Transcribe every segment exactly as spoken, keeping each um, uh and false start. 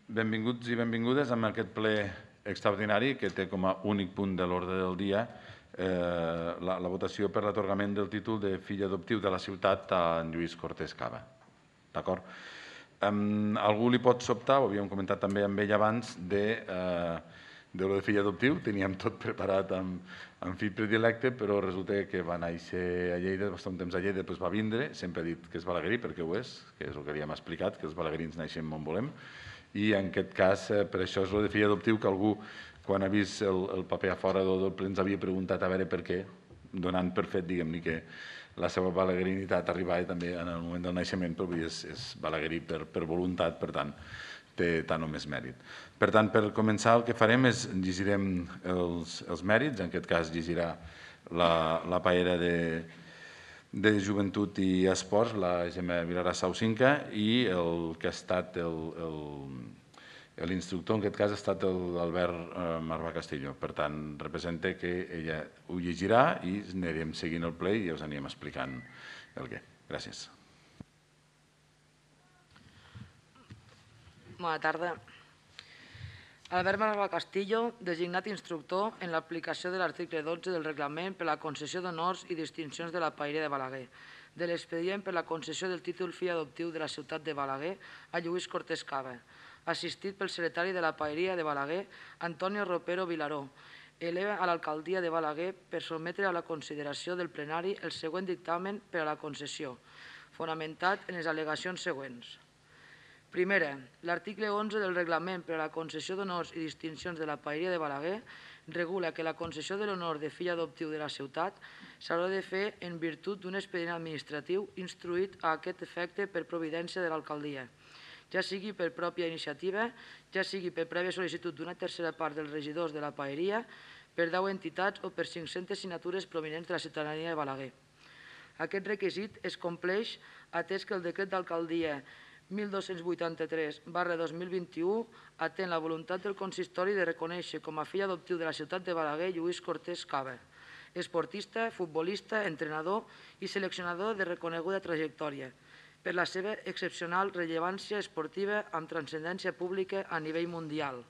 Benvinguts i benvingudes a aquest ple extraordinari que té com a únic punt de l'ordre del dia la votació per l'atorgament del títol de fill adoptiu de la ciutat a en Lluís Cortés Cava. D'acord? Algú li pot sobtar, ho havíem comentat també amb ell abans, de lo de fill adoptiu. Teníem tot preparat amb fill predilecte, però resulta que va néixer a Lleida, va estar un temps a Lleida, després va vindre, sempre ha dit que és balaguerí, perquè ho és, que és el que havíem explicat, que els balaguerins naixem on volem, i en aquest cas, per això és el de fill adoptiu, que algú, quan ha vist el paper a fora del ple, ens havia preguntat a veure per què, donant per fet, diguem-ne, que la seva balaguerinitat arribava també en el moment del naixement, però és balaguerí per voluntat, per tant, té tant o més mèrit. Per tant, per començar, el que farem és llegirem els mèrits, en aquest cas llegirà la paella de Joventut i Esports, la Gemma Vilarà Saucinca, i el que ha estat l'instructor, en aquest cas, ha estat l'Albert Marvà Castillo. Per tant, representa que ella ho llegirà i anirem seguint el ple i us anirem explicant el què. Gràcies. Bona tarda. Albert Marvà Castillo, designat instructor en l'aplicació de l'article dotze del reglament per la concessió d'honors i distincions de la Paeria de Balaguer, de l'expedient per la concessió del títol fill adoptiu de la ciutat de Balaguer a Lluís Cortés Cava, assistit pel secretari de la Paeria de Balaguer, Antonio Ropero Vilaró, eleva a l'alcaldia de Balaguer per sotmetre a la consideració del plenari el següent dictamen per a la concessió, fonamentat en les al·legacions següents. Primera, l'article onze del reglament per a la concessió d'honors i distincions de la Paeria de Balaguer regula que la concessió de l'honor de fill adoptiu de la ciutat s'haurà de fer en virtut d'un expedient administratiu instruït a aquest efecte per providència de l'alcaldia, ja sigui per pròpia iniciativa, ja sigui per prèvia sol·licitud d'una tercera part dels regidors de la Paeria, per deu entitats o per cinc-centes signatures provinents de la ciutadania de Balaguer. Aquest requisit es compleix atès que el decret d'alcaldia mil dos-cents vuitanta-tres barra dos mil vint-i-u atén la voluntat del consistori de reconèixer com a fill adoptiu de la ciutat de Balaguer Lluís Cortés Cava, esportista, futbolista, entrenador i seleccionador de reconeguda trajectòria, per la seva excepcional rellevància esportiva amb transcendència pública a nivell mundial.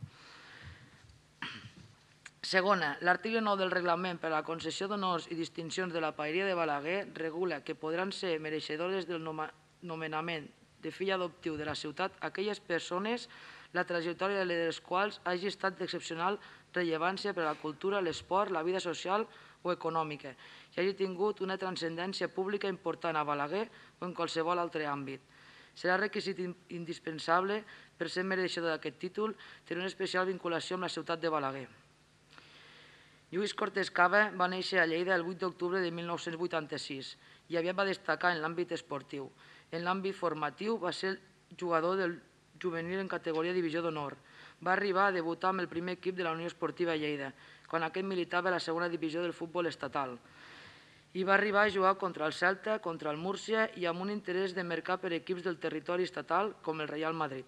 Segona, l'article nou del reglament per a la concessió d'honors i distincions de la Paeria de Balaguer regula que podran ser mereixedores del nomenament de fill adoptiu de la ciutat aquelles persones la trajectòria de les quals hagi estat d'excepcional rellevància per a la cultura, l'esport, la vida social o econòmica i hagi tingut una transcendència pública important a Balaguer o en qualsevol altre àmbit. Serà requisit indispensable per ser mereixedor d'aquest títol tenir una especial vinculació amb la ciutat de Balaguer. Lluís Cortés Cava va néixer a Lleida el vuit d'octubre de mil nou-cents vuitanta-sis i aviat va destacar en l'àmbit esportiu. En l'àmbit formatiu va ser jugador del juvenil en categoria divisió d'honor. Va arribar a debutar amb el primer equip de la Unió Esportiva Lleida, quan aquest militava a la segona divisió del futbol estatal. I va arribar a jugar contra el Celta, contra el Múrcia i amb un interès de mercat per equips del territori estatal com el Real Madrid.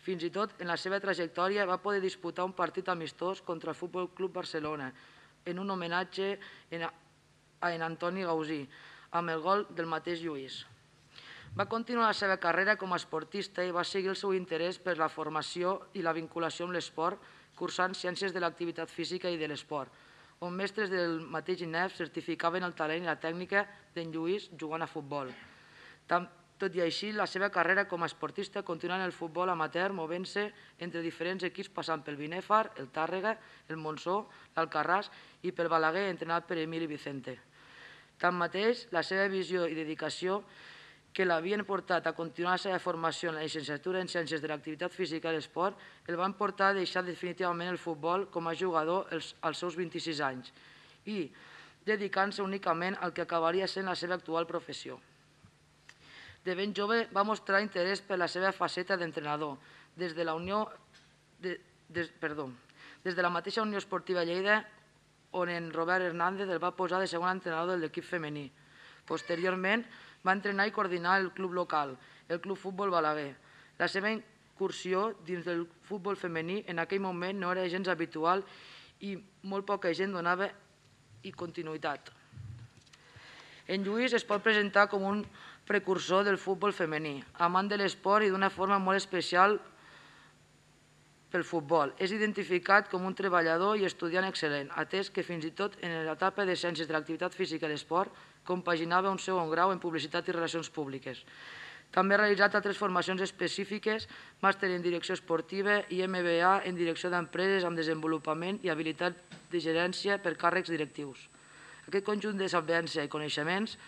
Fins i tot, en la seva trajectòria, va poder disputar un partit amistós contra el Futbol Club Barcelona, en un homenatge a en Antoni Gausí, amb el gol del mateix Lluís. Va continuar la seva carrera com a esportista i va seguir el seu interès per la formació i la vinculació amb l'esport, cursant ciències de l'activitat física i de l'esport, on mestres del mateix I N E F certificaven el talent i la tècnica d'en Lluís jugant a futbol. Tot i així, la seva carrera com a esportista continua en el futbol amateur, movent-se entre diferents equips passant pel Binèfar, el Tàrrega, el Montsó, l'Alcarràs i pel Balaguer, entrenat per Emili Vicente. Tanmateix, la seva visió i dedicació que l'havien portat a continuar la seva formació en la llicenciatura en Ciències de l'Activitat Física i l'Esport el van portar a deixar definitivament el futbol com a jugador als seus vint-i-sis anys i dedicant-se únicament al que acabaria sent la seva actual professió. De ben jove va mostrar interès per la seva faceta d'entrenador, des de la Unió, perdó, des de la mateixa Unió Esportiva Lleida, on en Robert Hernández el va posar de segon entrenador de l'equip femení. Posteriorment, va entrenar i coordinar el club local, el Club Futbol Balaguer. La seva incursió dins del futbol femení en aquell moment no era gens habitual i molt poca gent donava continuïtat. En Lluís es pot presentar com un precursor del futbol femení, amant de l'esport i d'una forma molt especial pel futbol. És identificat com un treballador i estudiant excel·lent, atès que fins i tot en l'etapa de Ciències de l'Activitat Física i l'Esport compaginava un segon grau en Publicitat i Relacions Públiques. També ha realitzat altres formacions específiques, màster en Direcció Esportiva i M B A en Direcció d'Empreses amb Desenvolupament i Habilitat de Gerència per càrrecs directius. Aquest conjunt de sapència i coneixements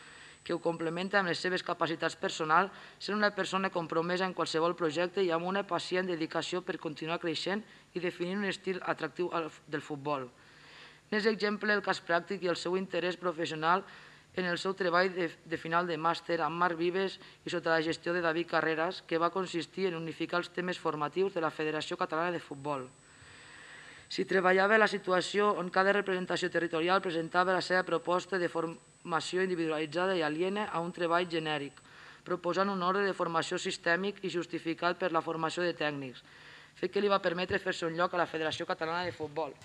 que ho complementa amb les seves capacitats personals, sent una persona compromesa en qualsevol projecte i amb una pacient dedicació per continuar creixent i definir un estil atractiu del futbol. N'és exemple el cas pràctic i el seu interès professional en el seu treball de final de màster amb Marc Vives i sota la gestió de David Carreras, que va consistir en unificar els temes formatius de la Federació Catalana de Futbol. S'hi treballava la situació on cada representació territorial presentava la seva proposta de formació individualitzada i aliena a un treball genèric, proposant un ordre de formació sistèmic i justificat per la formació de tècnics, fet que li va permetre fer-se un lloc a la Federació Catalana de Futbol.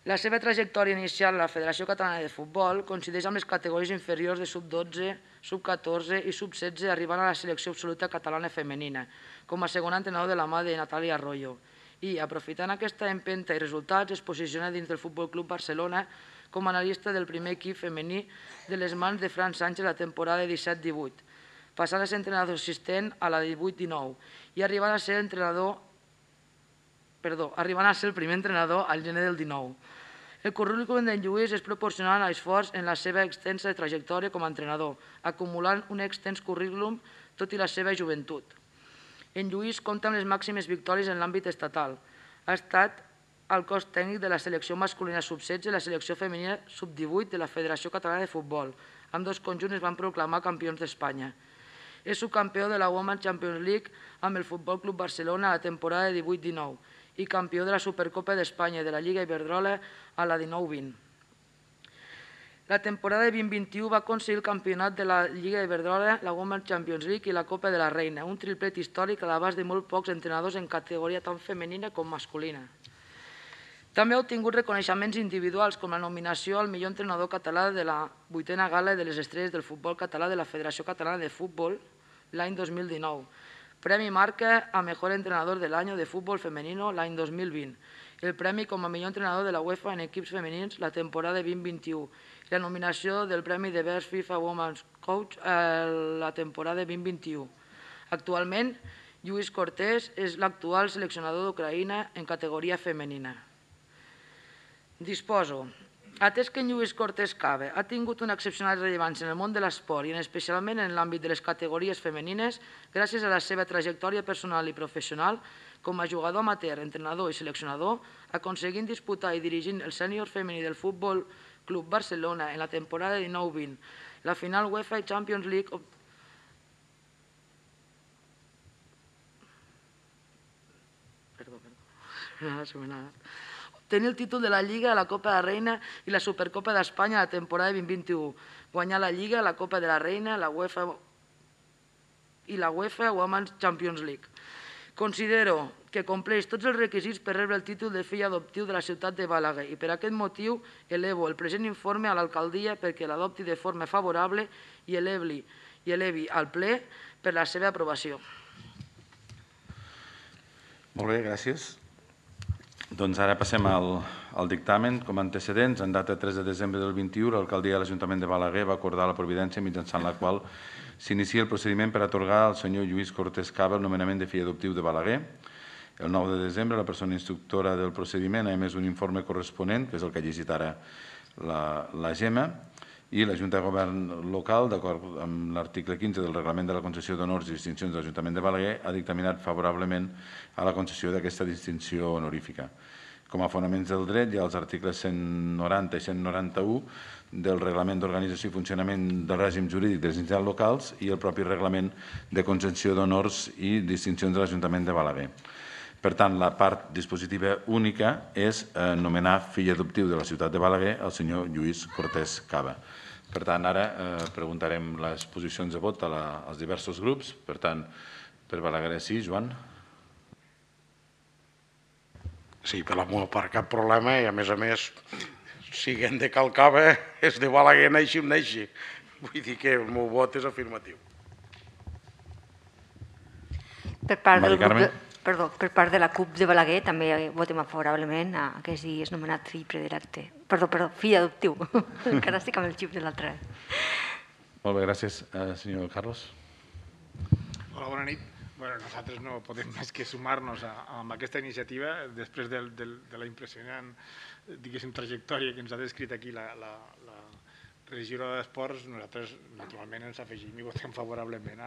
La seva trajectòria inicial a la Federació Catalana de Futbol coincideix amb les categories inferiors de sub dotze, sub catorze i sub setze, arribant a la selecció absoluta catalana femenina, com a segon entrenador de la mà de Natàlia Arroyo. I, aprofitant aquesta empenta i resultats, es posiciona dins del Futbol Club Barcelona com a analista del primer equip femení de les mans de Fran Sánchez la temporada disset divuit, passant a ser entrenador assistent a la divuit dinou i arribant a ser entrenador, perdó, arribant a ser el primer entrenador al gener del dinou. El currículum d'en Lluís és proporcional a l'esforç en la seva extensa trajectòria com a entrenador, acumulant un extens currículum tot i la seva joventut. En Lluís compta amb les màximes victòries en l'àmbit estatal. Ha estat al cos tècnic de la selecció masculina sub setze i la selecció femenina sub divuit de la Federació Catalana de Futbol. Ambdós conjunts es van proclamar campions d'Espanya. És subcampió de la Women's Champions League amb el Futbol Club Barcelona a la temporada divuit dinou i campió de la Supercopa d'Espanya i de la Lliga Iberdrola a la dinou vint. La temporada vint vint-i-u va aconseguir el campionat de la Lliga Iberdrola, la Women's Champions League i la Copa de la Reina, un triplet històric a l'abast de molt pocs entrenadors en categoria tant femenina com masculina. També ha obtingut reconeixements individuals com la nominació al millor entrenador català de la vuitena gala de les estrelles del futbol català de la Federació Catalana de Futbol l'any dos mil dinou, Premi Marca a Mejor Entrenador del Año de Fútbol Femenino l'any dos mil vint, el premi com a millor entrenador de la UEFA en equips femenins la temporada vint vint-i-u i la nominació del premi de Best FIFA Women's Coach la temporada vint vint-i-u. Actualment, Lluís Cortés és l'actual seleccionador d'Ucraïna en categoria femenina. Disposo. Atès que en Lluís Cortés Cava ha tingut una excepcional rellevància en el món de l'esport i especialment en l'àmbit de les categories femenines, gràcies a la seva trajectòria personal i professional, com a jugador amateur, entrenador i seleccionador, aconseguint disputar i dirigint el sènior femení del Futbol Club Barcelona en la temporada dinou vint, la final UEFA Champions League perdó, perdó, tenir el títol de la Lliga, la Copa de la Reina i la Supercopa d'Espanya a la temporada vint vint-i-u, guanyar la Lliga, la Copa de la Reina la UEFA i la UEFA Women's Champions League. Considero que compleix tots els requisits per rebre el títol de fill adoptiu de la ciutat de Balaguer i per aquest motiu elevo el present informe a l'alcaldia perquè l'adopti de forma favorable i elevi, i elevi al ple per la seva aprovació. Molt bé, gràcies. Doncs ara passem al, al dictamen. Com a antecedents, en data tres de desembre del vint-i-u, l'alcaldia de l'Ajuntament de Balaguer va acordar la providència mitjançant la qual s'inicia el procediment per atorgar al senyor Lluís Cortés Cava el nomenament de fill adoptiu de Balaguer. El nou de desembre, la persona instructora del procediment ha emès un informe corresponent, que és el que ha llegit ara la, la Gemma, i la Junta de Govern local, d'acord amb l'article quinze del Reglament de la concessió d'honors i distincions de l'Ajuntament de Balaguer, ha dictaminat favorablement a la concessió d'aquesta distinció honorífica. Com a fonaments del dret hi ha els articles cent noranta i cent noranta-u del Reglament d'Organització i Funcionament del Règim Jurídic de les entitats locals i el propi Reglament de concessió d'honors i distincions de l'Ajuntament de Balaguer. Per tant, la part dispositiva única és nomenar fill adoptiu de la ciutat de Balaguer el senyor Lluís Cortés Cava. Per tant, ara preguntarem les posicions de vot als diversos grups. Per tant, per Balaguer sí, Joan? Sí, per la meva part cap problema i a més a més, siguent de Calcava, és de Balaguer, neixi on neixi. Vull dir que el meu vot és afirmatiu. Per part del grup de... perdó, per part de la CUP de Balaguer també votem favorablement a que sigui nomenat fill predilecte. Perdó, perdó, fill adoptiu. Encara estic amb el xip de l'altre. Molt bé, gràcies. Senyor Carlos. Hola, bona nit. Nosaltres no podem més que sumar-nos a aquesta iniciativa després de la impressionant trajectòria que ens ha descrit aquí la regidora d'Esports. Nosaltres, naturalment, ens afegim i votem favorablement.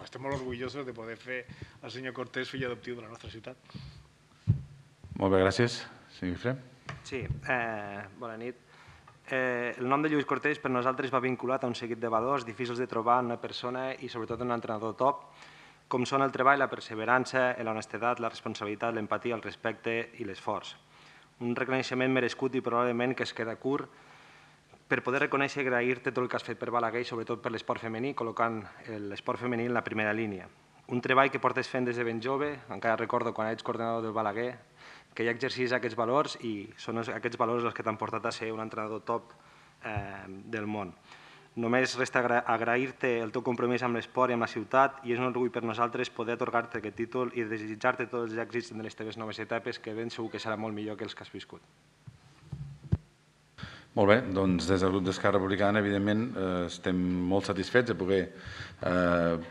Estem molt orgullosos de poder fer el senyor Cortés fill adoptiu de la nostra ciutat. Molt bé, gràcies. Senyor Guifré. Sí, bona nit. El nom de Lluís Cortés per nosaltres va vinculat a un seguit de valors difícils de trobar en una persona i sobretot en un entrenador top, com són el treball, la perseverança, l'honestedat, la responsabilitat, l'empatia, el respecte i l'esforç. Un reconeixement merescut i probablement que es queda curt per poder reconèixer i agrair-te tot el que has fet per Balaguer i sobretot per l'esport femení, col·locant l'esport femení en la primera línia. Un treball que portes fent des de ben jove, encara recordo quan ets coordinador del Balaguer, que ja exercís aquests valors i són aquests valors els que t'han portat a ser un entrenador top del món. Només resta agrair-te el teu compromís amb l'esport i amb la ciutat i és un orgull per nosaltres poder atorgar-te aquest títol i desitjar-te tots els èxits en les teves noves etapes, que ben segur que serà molt millor que els que has viscut. Molt bé, doncs des del grup d'Esquerra Republicana, evidentment, estem molt satisfets de poder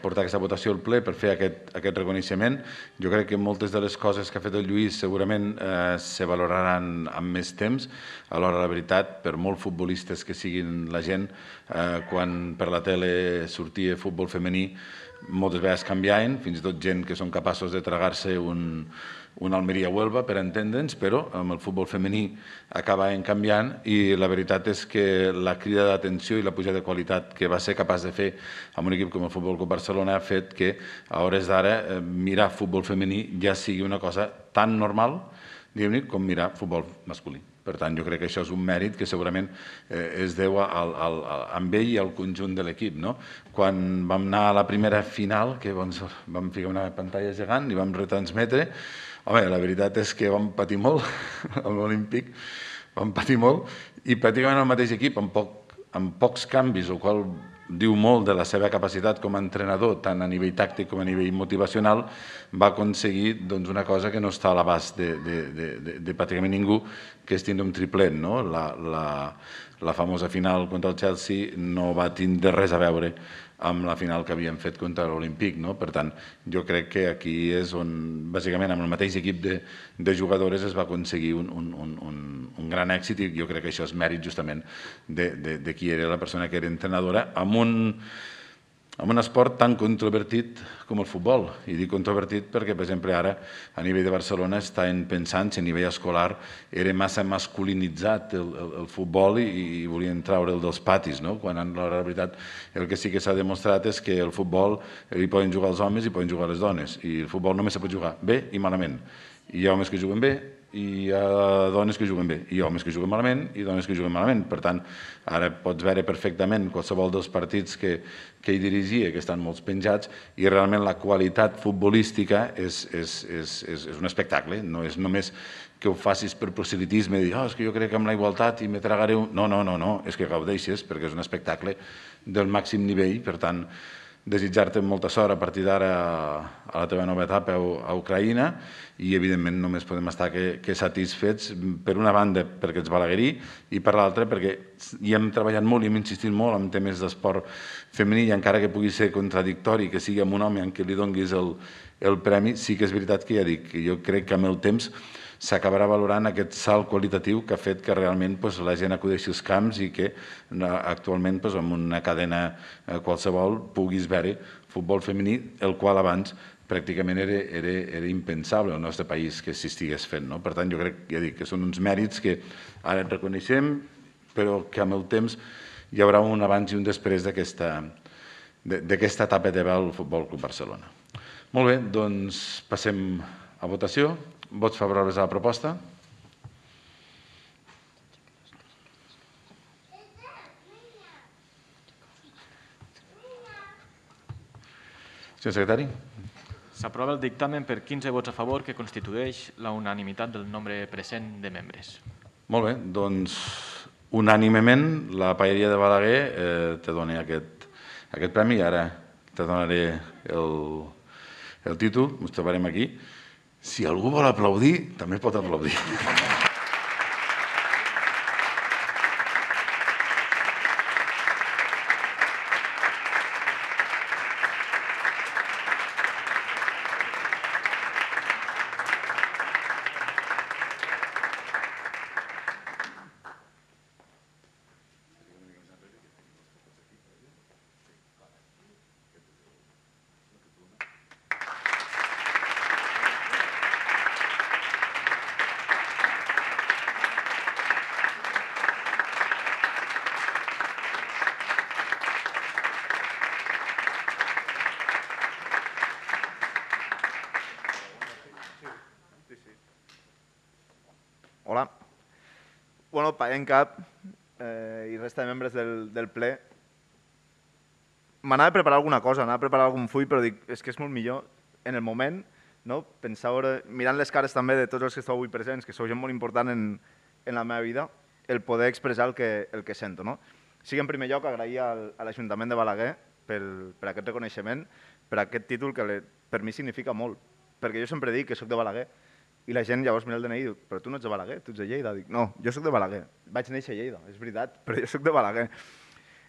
portar aquesta votació al ple per fer aquest reconeixement. Jo crec que moltes de les coses que ha fet el Lluís segurament se valoraran amb més temps. Alhora, la veritat, per molt futbolistes que siguin la gent, quan per la tele sortia futbol femení, moltes vegades canviaven, fins i tot gent que són capaços de tragar-se un un Almeria-Huelva, per entendre'ns, però amb el futbol femení acabaven canviant i la veritat és que la crida d'atenció i la pujada de qualitat que va ser capaç de fer amb un equip com el Futbol Club Barcelona ha fet que a hores d'ara mirar futbol femení ja sigui una cosa tan normal, diguem-ne, com mirar futbol masculí. Per tant, jo crec que això és un mèrit que segurament es deu a ell i al conjunt de l'equip. Quan vam anar a la primera final, que vam ficar una pantalla gegant i vam retransmetre, home, la veritat és que vam patir molt, amb l'Olímpic, vam patir molt, i pràcticament el mateix equip, amb pocs canvis, el qual diu molt de la seva capacitat com a entrenador, tant a nivell tàctic com a nivell motivacional, va aconseguir una cosa que no està a l'abast de pràcticament ningú, que és tindre un triplet. La famosa final contra el Chelsea no va tindre res a veure amb la final que havíem fet contra l'Olímpic. Per tant, jo crec que aquí és on, bàsicament, amb el mateix equip de jugadores es va aconseguir un gran èxit i jo crec que això és mèrit justament de qui era la persona que era entrenadora amb un esport tan controvertit com el futbol. I dic controvertit perquè, per exemple, ara a nivell de Barcelona estan pensant si a nivell escolar era massa masculinitzat el futbol i volien traure'l dels patis, quan en la veritat el que sí que s'ha demostrat és que el futbol hi poden jugar els homes i poden jugar les dones i el futbol només se pot jugar bé i malament. Hi ha homes que juguen bé i hi ha dones que juguen bé, i hi ha homes que juguen malament i dones que juguen malament. Per tant, ara pots veure perfectament qualsevol dels partits que ell dirigia, que estan molt penjats, i realment la qualitat futbolística és un espectacle. No és només que ho facis per proselitisme i dir, oh, és que jo crec que amb la igualtat i me tragaré un... No, no, no, no, és que gaudeixes perquè és un espectacle del màxim nivell. Per tant, desitjar-te molta sort a partir d'ara a la teva nova etapa a Ucraïna i, evidentment, només podem estar que satisfets, per una banda, perquè ets balaguerí i, per l'altra, perquè hi hem treballat molt i hem insistit molt en temes d'esport femení i encara que pugui ser contradictori que sigui amb un home en què li donguis el premi, sí que és veritat que ja dic que jo crec que amb el temps s'acabarà valorant aquest salt qualitatiu que ha fet que realment la gent acudeixi als camps i que actualment en una cadena qualsevol puguis veure futbol femení, el qual abans pràcticament era impensable al nostre país que s'estigués fent. Per tant, jo crec que són uns mèrits que ara reconeixem, però que amb el temps hi haurà un abans i un després d'aquesta etapa de el Futbol Club Barcelona. Molt bé, doncs passem a votació. Vots favorables a la proposta? Senyor secretari. S'aprova el dictamen per quinze vots a favor, que constitueix la unanimitat del nombre present de membres. Molt bé, doncs unànimement la paeria de Balaguer te dona aquest premi i ara te donaré el títol, ens trobarem aquí. Si algú vol aplaudir, també pot aplaudir. Hola. Bueno, Paia en cap eh, i resta de membres del, del ple. M'anava a preparar alguna cosa, anava a preparar algun full, però dic, és que és molt millor en el moment, no? Pensar, mirant les cares també de tots els que esteu avui presents, que sou gent molt important en, en la meva vida, el poder expressar el que, el que sento. No? Sí que en primer lloc agrair al, a l'Ajuntament de Balaguer pel, per aquest reconeixement, per aquest títol que le, per mi significa molt, perquè jo sempre dic que sóc de Balaguer, i la gent llavors mira el D N I i diu, però tu no ets de Balaguer, tu ets de Lleida. Dic, no, jo sóc de Balaguer, vaig néixer a Lleida, és veritat, però jo sóc de Balaguer.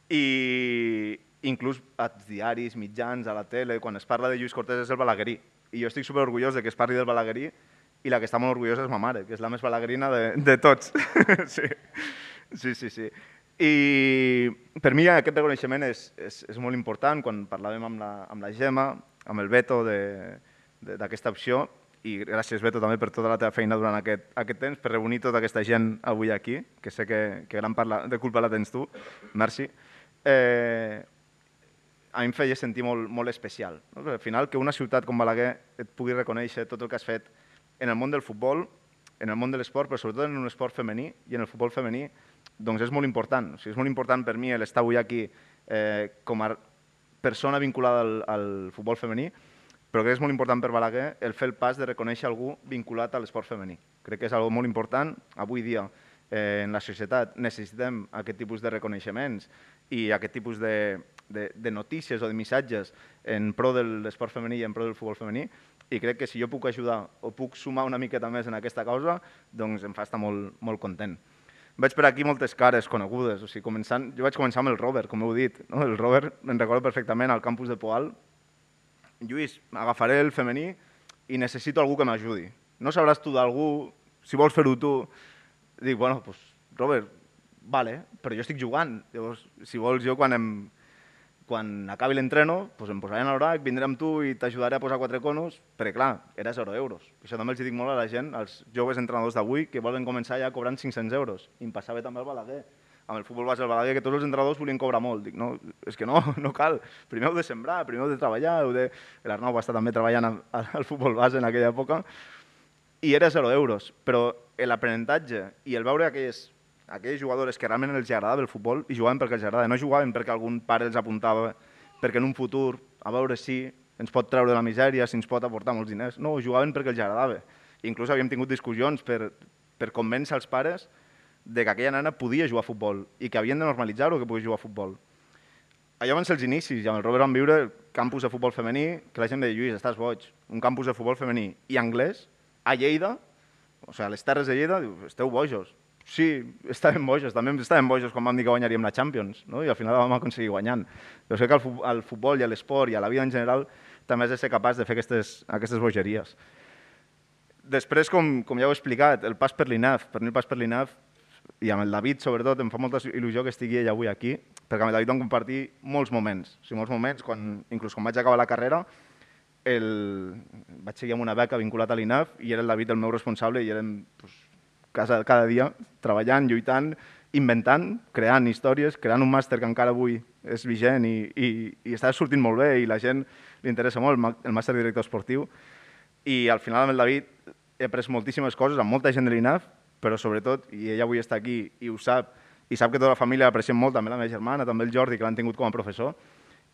I inclús als diaris, mitjans, a la tele, quan es parla de Lluís Cortés és el balaguerí. I jo estic superorgullós de que es parli del balaguerí i la que està molt orgullosa és ma mare, que és la més balaguerina de, de tots. Sí, sí, sí. sí. I per mi aquest reconeixement és, és, és molt important. Quan parlàvem amb la, amb la Gemma, amb el Beto d'aquesta opció, i gràcies, Beto, també per tota la teva feina durant aquest, aquest temps, per reunir tota aquesta gent avui aquí, que sé que, que gran part de culpa la tens tu. Merci. Eh, a mi em feia sentir molt, molt especial. No? Al final, que una ciutat com Balaguer et pugui reconèixer tot el que has fet en el món del futbol, en el món de l'esport, però sobretot en un esport femení i en el futbol femení, doncs és molt important. O sigui, és molt important per mi l'estar avui aquí eh, com a persona vinculada al, al futbol femení, però crec que és molt important per Balaguer el fer el pas de reconèixer algú vinculat a l'esport femení. Crec que és algo molt important. Avui dia eh, en la societat necessitem aquest tipus de reconeixements i aquest tipus de, de, de notícies o de missatges en pro de l'esport femení i en pro del futbol femení, i crec que si jo puc ajudar o puc sumar una miqueta més en aquesta causa, doncs em fa estar molt, molt content. Veig per aquí moltes cares conegudes. O sigui, començant, jo vaig començar amb el Robert, com heu dit. No? El Robert, me'n recordo perfectament, al campus de Poal. Lluís, agafaré el femení i necessito algú que m'ajudi. No sabràs tu d'algú, si vols fer-ho tu. Dic, bueno, doncs, Robert, vale, però jo estic jugant. Llavors, si vols, jo quan, em, quan acabi l'entreno, doncs em posaré en l'horari, vindré amb tu i t'ajudaré a posar quatre conos, perquè clar, era zero euros. Això també els dic molt a la gent, als joves entrenadors d'avui, que volen començar ja cobrant cinc-cents euros. I em passava també al Balaguer. Amb el futbol base del Balaguer, que tots els entrenadors volien cobrar molt. Dic, no, és que no, no cal. Primer heu de sembrar, primer heu de treballar. Heu de... L'Arnau va estar també treballant al futbol base en aquella època. I era zero euros. Però l'aprenentatge i el veure aquelles, aquelles jugadores que realment els agradava el futbol i jugaven perquè els agradava. No jugaven perquè algun pare els apuntava, perquè en un futur, a veure si ens pot treure de la misèria, si ens pot aportar molts diners. No, jugaven perquè els agradava. Inclús havíem tingut discussions per, per convèncer els pares de que aquella nena podia jugar a futbol i que havien de normalitzar-ho que podia jugar a futbol. Allò van ser els inicis, i amb el Robert vam viure el campus de futbol femení, que la gent deia, Lluís, estàs boig, un campus de futbol femení i anglès, a Lleida, o sigui, a les terres de Lleida, diu, esteu bojos. Sí, estàvem bojos, també estàvem bojos quan vam dir que guanyaríem la Champions, no? I al final la vam aconseguir guanyant. Però sé que al futbol i a l'esport i a la vida en general també has de ser capaç de fer aquestes, aquestes bogeries. Després, com, com ja heu explicat, el pas per l'I N A F, per mi el pas per l'I N A F, i amb el David, sobretot, em fa molta il·lusió que estigui ell avui aquí, perquè amb el David vam compartir molts moments. O sigui, molts moments, quan, inclús quan vaig acabar la carrera, el... vaig seguir amb una beca vinculat a l'I N A F i era el David el meu responsable i érem pues, casa, cada dia treballant, lluitant, inventant, creant històries, creant un màster que encara avui és vigent i, i, i està sortint molt bé i la gent li interessa molt, el màster de director esportiu. I al final amb el David he après moltíssimes coses amb molta gent de l'I N A F, però sobretot, i ella avui està aquí i ho sap, i sap que tota la família l'apreciem molt, també la meva germana, també el Jordi, que l'han tingut com a professor,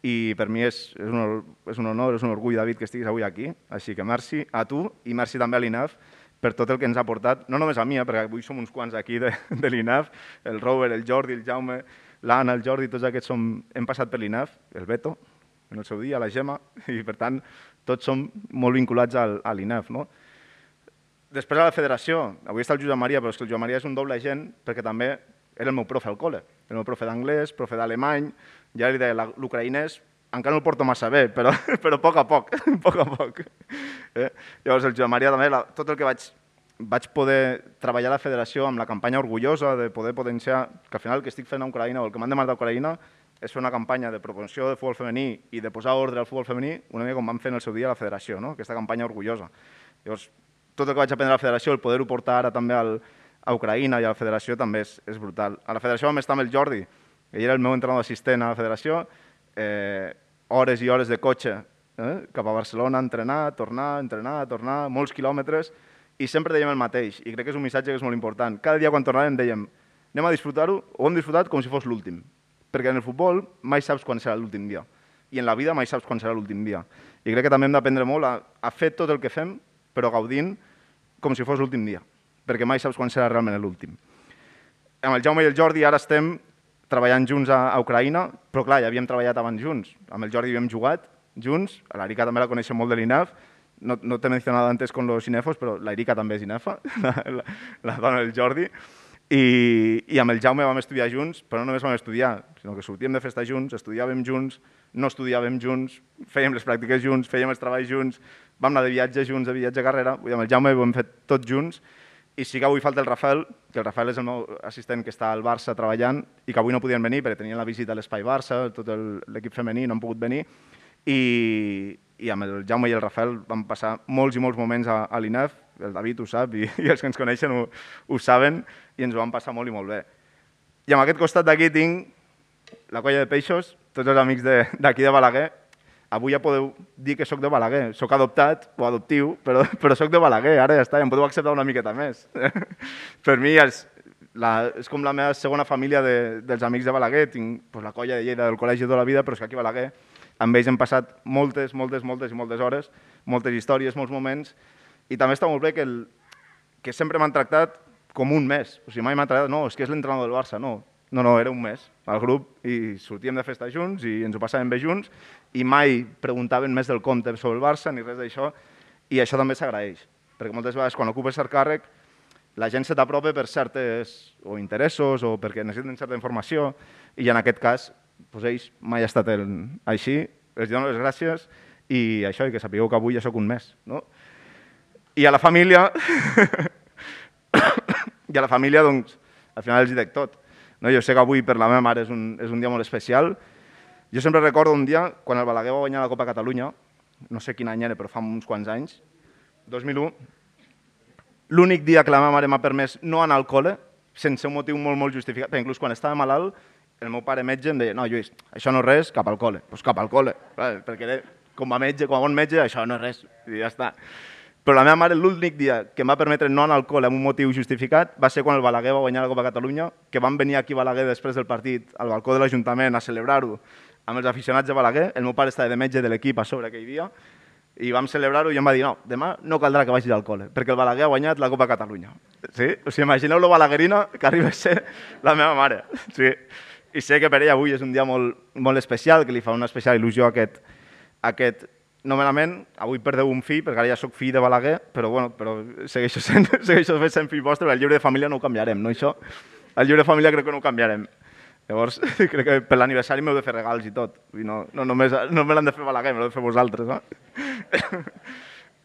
i per mi és, és, un, és un honor, és un orgull, David, que estiguis avui aquí. Així que merci a tu i merci també a l'I N A F per tot el que ens ha portat, no només a mi, perquè avui som uns quants aquí de, de l'I N A F, el Robert, el Jordi, el Jaume, l'Anna, el Jordi, tots aquests som, hem passat per l'I N A F, el Beto, en el seu dia, la Gemma, i per tant, tots som molt vinculats al, a l'I N E F. No? Després a la federació, avui està el Josep Maria, però és que el Josep Maria és un doble agent perquè també era el meu profe al col·le, el meu profe d'anglès, profe d'alemany, ja li deia l'ucraïnès, encara no el porto massa bé, però, però a poc a poc, a poc a poc. Eh? Llavors el Josep Maria també, la, tot el que vaig, vaig poder treballar a la federació amb la campanya orgullosa de poder potenciar, que al final el que estic fent a Ucraïna o el que m'han demanat a Ucraïna és fer una campanya de promoció del futbol femení i de posar ordre al futbol femení, una mica com vam fer en el seu dia a la federació, no? Aquesta campanya orgullosa. Llavors, tot el que vaig aprendre a la federació, el poder-ho portar ara també al, a Ucraïna i a la federació també és, és brutal. A la federació vam estar amb el Jordi, ell era el meu entrenador assistent a la federació, eh, hores i hores de cotxe eh, cap a Barcelona, entrenar, tornar, entrenar, tornar, molts quilòmetres, i sempre dèiem el mateix, i crec que és un missatge que és molt important. Cada dia quan tornàvem dèiem, anem a disfrutar-ho, ho hem disfrutat com si fos l'últim, perquè en el futbol mai saps quan serà l'últim dia, i en la vida mai saps quan serà l'últim dia. I crec que també hem d'aprendre molt a, a fer tot el que fem, però gaudint com si fos l'últim dia, perquè mai saps quan serà realment l'últim. Amb el Jaume i el Jordi ara estem treballant junts a, a Ucraïna, però clar, ja havíem treballat abans junts. Amb el Jordi havíem jugat junts, l'Erika també la coneixem molt de l'I N E F, no, no t'he mencionat antes con los cinefos, però l'Erika també és INEFA, la, la, la dona del Jordi, i, i amb el Jaume vam estudiar junts, però no només vam estudiar, sinó que sortíem de festa junts, estudiàvem junts, no estudiàvem junts, fèiem les pràctiques junts, fèiem els treballs junts, vam anar de viatge junts, de viatge a carrera, i amb el Jaume ho hem fet tots junts, i sí que avui falta el Rafael, que el Rafael és el meu assistent que està al Barça treballant i que avui no podien venir perquè tenien la visita a l'Espai Barça, tot l'equip femení no han pogut venir, i, i amb el Jaume i el Rafael vam passar molts i molts moments a, a l'I N E F, el David ho sap i, i els que ens coneixen ho, ho saben, i ens ho vam passar molt i molt bé. I amb aquest costat d'aquí tinc la colla de peixos, tots els amics d'aquí de, de Balaguer. Avui ja podeu dir que sóc de Balaguer, sóc adoptat o adoptiu, però, però sóc de Balaguer, ara ja està, ja em podeu acceptar una miqueta més. Per mi és, la, és com la meva segona família de, dels amics de Balaguer, tinc pues, la colla de Lleida del col·legi tota la vida, però és que aquí a Balaguer amb ells hem passat moltes, moltes, moltes i moltes hores, moltes històries, molts moments, i també està molt bé que, el, que sempre m'han tractat com un mes, o sigui, mai m'han tractat, no, és que és l'entrenador del Barça, no, no, no, era un mes al grup i sortíem de festa junts i ens ho passàvem bé junts i mai preguntaven més del compte sobre el Barça ni res d'això, i això també s'agraeix, perquè moltes vegades quan ocupes cert càrrec la gent se t'apropa per certes o interessos o perquè necessiten certa informació, i en aquest cas doncs ells mai ha estat el, així, els dono les gràcies i això, i que sapigueu que avui ja soc un mes. No? I a la família, i a la família, doncs, al final els hi dec tot. No, jo sé que avui per la meva mare és un, és un dia molt especial. Jo sempre recordo un dia quan el Balaguer va guanyar la Copa Catalunya, no sé quin any era, però fa uns quants anys, dos mil u, l'únic dia que la meva mare m'ha permès no anar al col·le, sense un motiu molt, molt justificat, perquè inclús quan estava malalt, el meu pare metge em deia, no, Lluís, això no és res, cap al col·le. Doncs cap al col·le, perquè com a metge, com a bon metge, això no és res, i ja està. Però la meva mare, l'únic dia que em va permetre no anar al col·le amb un motiu justificat va ser quan el Balaguer va guanyar la Copa Catalunya, que van venir aquí a Balaguer després del partit al balcó de l'Ajuntament a celebrar-ho amb els aficionats de Balaguer. El meu pare estava de metge de l'equip a sobre aquell dia i vam celebrar-ho i em va dir no, demà no caldrà que vagis al col·le perquè el Balaguer ha guanyat la Copa Catalunya. Sí? O sigui, imagineu lo balaguerina que arriba a ser la meva mare. Sí. I sé que per ella avui és un dia molt, molt especial, que li fa una especial il·lusió a aquest, a aquest nomenament. Avui perdeu un fill, perquè ara ja soc fill de Balaguer, però, bueno, però segueixo sent, segueixo sent fill vostre, però el llibre de família no ho canviarem, no això? El llibre de família crec que no ho canviarem. Llavors, crec que per l'aniversari m'heu de fer regals i tot. I no, no només no me l'han de fer Balaguer, me l'heu de fer vosaltres, no?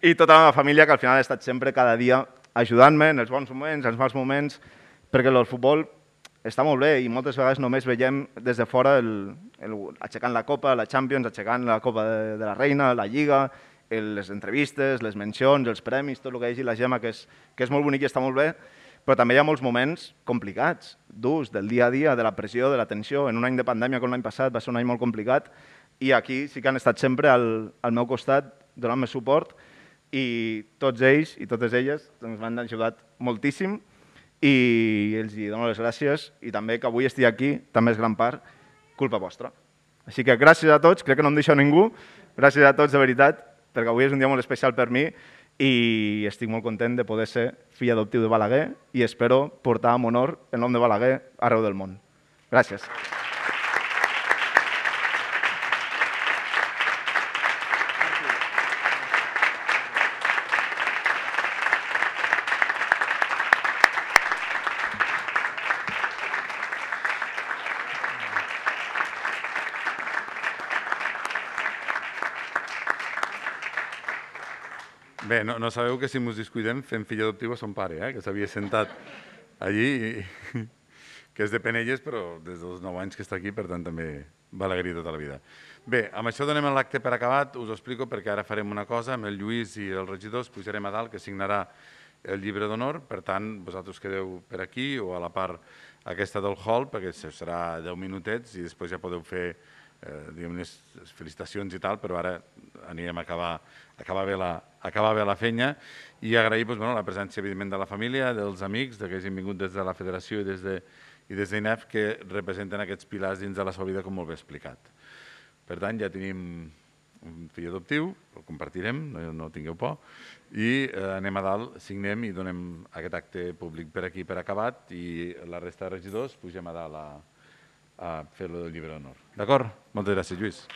I tota la meva família, que al final ha estat sempre cada dia ajudant-me en els bons moments, en els mals moments, perquè el futbol està molt bé i moltes vegades només veiem des de fora el, el, aixecant la Copa, la Champions, aixecant la Copa de, de la Reina, la Lliga, el, les entrevistes, les mencions, els premis, tot el que hagi la Gemma, que és, que és molt bonic i està molt bé, però també hi ha molts moments complicats, durs, del dia a dia, de la pressió, de la tensió. En un any de pandèmia com l'any passat va ser un any molt complicat i aquí sí que han estat sempre al, al meu costat donant-me suport i tots ells i totes elles doncs, m'han ajudat moltíssim i els dono les gràcies i també que avui estigui aquí també és gran part culpa vostra. Així que gràcies a tots, crec que no em deixo ningú, gràcies a tots de veritat, perquè avui és un dia molt especial per mi i estic molt content de poder ser fill adoptiu de Balaguer i espero portar amb honor el nom de Balaguer arreu del món. Gràcies. Bé, no, no sabeu que si ens descuidem fem fill adoptiu a son pare, eh? Que s'havia sentat allí, i, que és de Penelles, però des dels nou anys que està aquí, per tant també Balaguer tota la vida. Bé, amb això donem l'acte per acabat, us ho explico perquè ara farem una cosa, amb el Lluís i els regidors pujarem a dalt, que signarà el llibre d'honor, per tant, vosaltres quedeu per aquí o a la part aquesta del hall, perquè serà deu minutets i després ja podeu fer eh, diguem, les felicitacions i tal, però ara anirem a acabar, acabar, bé, la, acabar bé la feina i agrair doncs, bueno, la presència, evidentment, de la família, dels amics, que hagin vingut des de la federació i des de i des d'I N E F, que representen aquests pilars dins de la seva vida, com molt bé explicat. Per tant, ja tenim un fill adoptiu, el compartirem, no, no tingueu por, i eh, anem a dalt, signem i donem aquest acte públic per aquí per acabat i la resta de regidors pugem a dalt a, a fer-lo del llibre d'honor. D'acord? Moltes gràcies, Lluís.